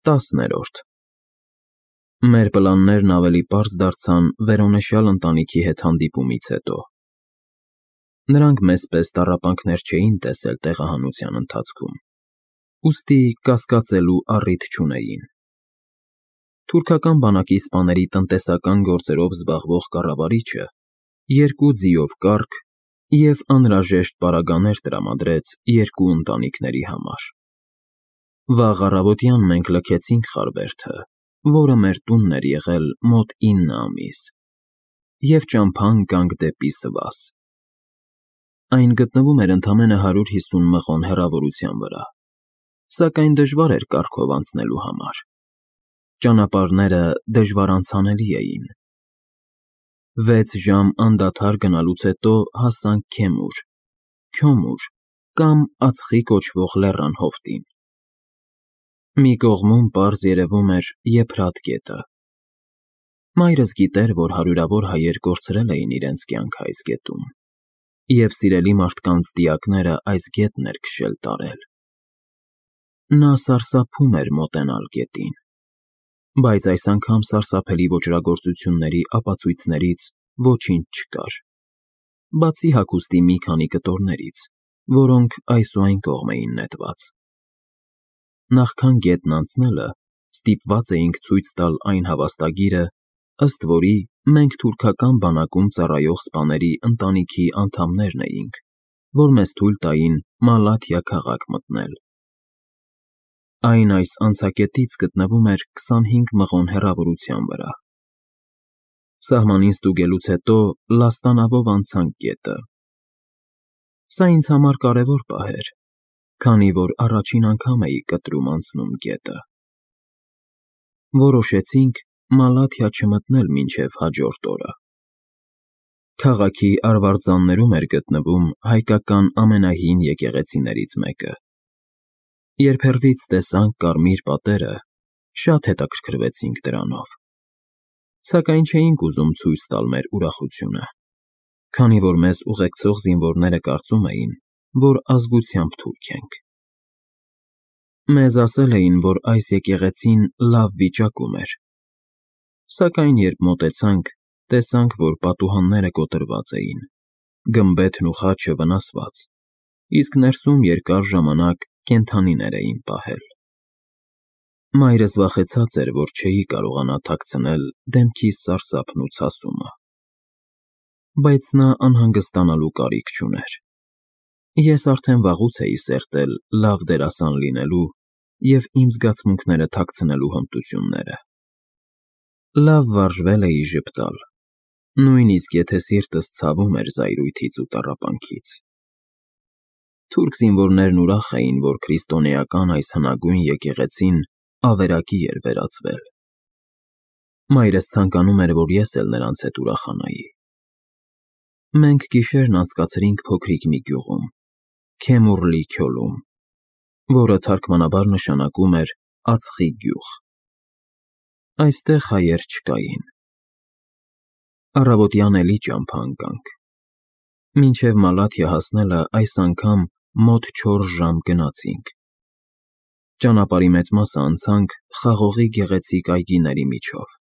10-րդ Մեր պլաններն ավելի պարզ դարձան վերոնշյալ ընտանիքի հետ հանդիպումից հետո։ Նրանք մեզ պես տառապանքներ չէին տեսել տեղահանության ընթացքում, ուստի կասկածելու առիթ չունեին։ Թուրքական բանակի սպաների տնտեսական գործերով զբաղվող կառավարիչը 2 ձիով կառք և անհրաժեշտ պարագաներ տրամադրեց 2 ընտանիքների համար։ Վաղ առավոտյան մենք լքեցինք Խարվերդը, որը մեր տունն էր եղել մոտ 9 ամիս, և ճամփա ընկանք դեպի Սվաս։ Այն գտնվում էր ընդամենը 150 մղոն հեռավորության վրա, սակայն դժվար էր կառքով անցնելու համար։ Ճանապարհները դժվար անցանելի էին։ 6 ժամ անդադար գնալուց հետո հասանք Քյոմուր կամ Ածխի կոչվող լեռան հովտին։ Մի կողմում պարզ երևում էր Եփրատ գետը։ Մայրս գիտեր, որ հարյուրավոր հայեր կորցրել էին իրենց կյանքը այս գետում, և սիրելի մարդկանց դիակները այս գետն էր քշել տարել։ Նա սարսափում էր մոտենալ գետին, բայց այս անգամ սարսափելի ոճրագործությունների ապացույցներից ոչինչ չկար, բացի հագուստի մի քանի կտորներից, որոնք այս ու այն կողմ էին նետված։ Նախքան գետն անցնելը ստիպված էինք ցույց տալ այն հավաստագիրը, ըստ որի մենք թուրքական բանակում ծառայող սպաների ընտանիքի անդամներն էինք, որ մեզ թույլ տային Մալաթիա քաղաք մտնել։ Այն այս անցակետից գտնվում էր 25 մղոն հեռավորության վրա։ Սահմանին ստուգելուց հետո լաստանավով անցանք գետը։ Սա ինձ համար կարևոր պահ էր, քանի որ առաջին անգամ էի կտրում անցնում գետը։ Որոշեցինք Մալաթիա չմտնել մինչև հաջորդ օրը։ Քաղաքի արվարձաններում էր գտնվում հայկական ամենահին եկեղեցիներից մեկը։ Երբ հեռվից տեսանք կարմիր պատերը, շատ հետաքրքրվեցինք դրանով, սակայն չէինք ուզում ցույց տալ մեր ուրախությունը, քանի որ մեզ ուղեկցող զինվորները կարծում էին, որ ազգությամբ թուրք ենք։ Մեզ ասել էին, որ այս եկեղեցին լավ վիճակում էր, սակայն երբ մոտեցանք, տեսանք, որ պատուհանները կոտրված էին, գմբեթն ու խաչը վնասված, իսկ ներսում երկար ժամանակ կենդանիներ էին պահել։ Մայրս վախեցած էր, որ չէի կարողանա թաքցնել դեմքիս սարսափն ու ցասումը, բայց նա անհանգստանալու կարիք չուներ։ Ես արդեն վաղուց էի սերտել լավ դերասան լինելու և իմ զգացմունքները թաքցնելու հմտությունները։ Լավ վարժվել էի ժպտալ, նույնիսկ եթե սիրտս ցավում էր զայրույթից ու տառապանքից։ Թուրք զինվորներն ուրախ էին, որ քրիստոնեական այս հնագույն եկեղեցին ավերակի էր վերածվել։ Մայրս ցանկանում էր, որ ես էլ նրանց հետ ուրախանայի։ Մենք գիշերն անցկացրինք փոքրիկ մի գյուղում, Քեմուրլի Քյոլում, որը թարգմանաբար նշանակում էր Ածխի գյուղ։ Այստեղ հայեր չկային։ Առավոտյան էլի ճամփա ընկանք։ Մինչև Մալաթիա հասնելը այս անգամ մոտ 4 ժամ գնացինք։ Ճանապարհի մեծ մասը անցանք խաղողի գեղեցիկ այգիների միջով։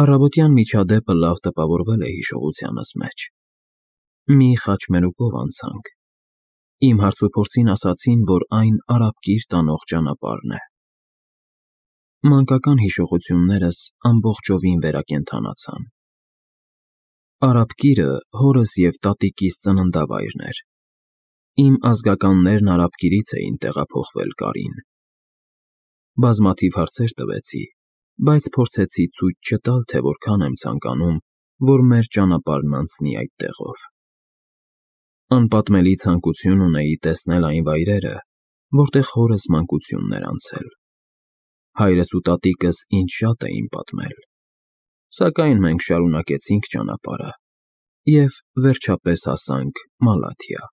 Առավոտյան միջադեպը լավ տպավորվել է հիշողությանս մեջ։ Մի խաչմերուկով անցանք։ Իմ հարցուփորձին ասացին, որ այն արաբկիր տանող ճանապարհն է։ Մանկական հիշողություններս ամբողջովին վերակենդանացան։ Արաբկիրը հորս և տատիկիս ծննդավայրն էր։ Իմ ազգականներն Արաբկիրից էին տեղափոխվել Կարին։ Բազմաթիվ հարցեր տվեցի, բայց փորձեցի ցույց չտալ, թե որքան եմ ցանկանում, որ մեր ճանապարհն անցնի այդտեղով։ Անպատմելի ցանկություն ունեի տեսնել այն վայրերը, որտեղ հորս մանկությունն էր անցել։ Հայրս ու տատիկս ինձ շատ էին պատմել, սակայն մենք շարունակեցինք ճանապարհը և վերջապես հասանք Մալաթիա։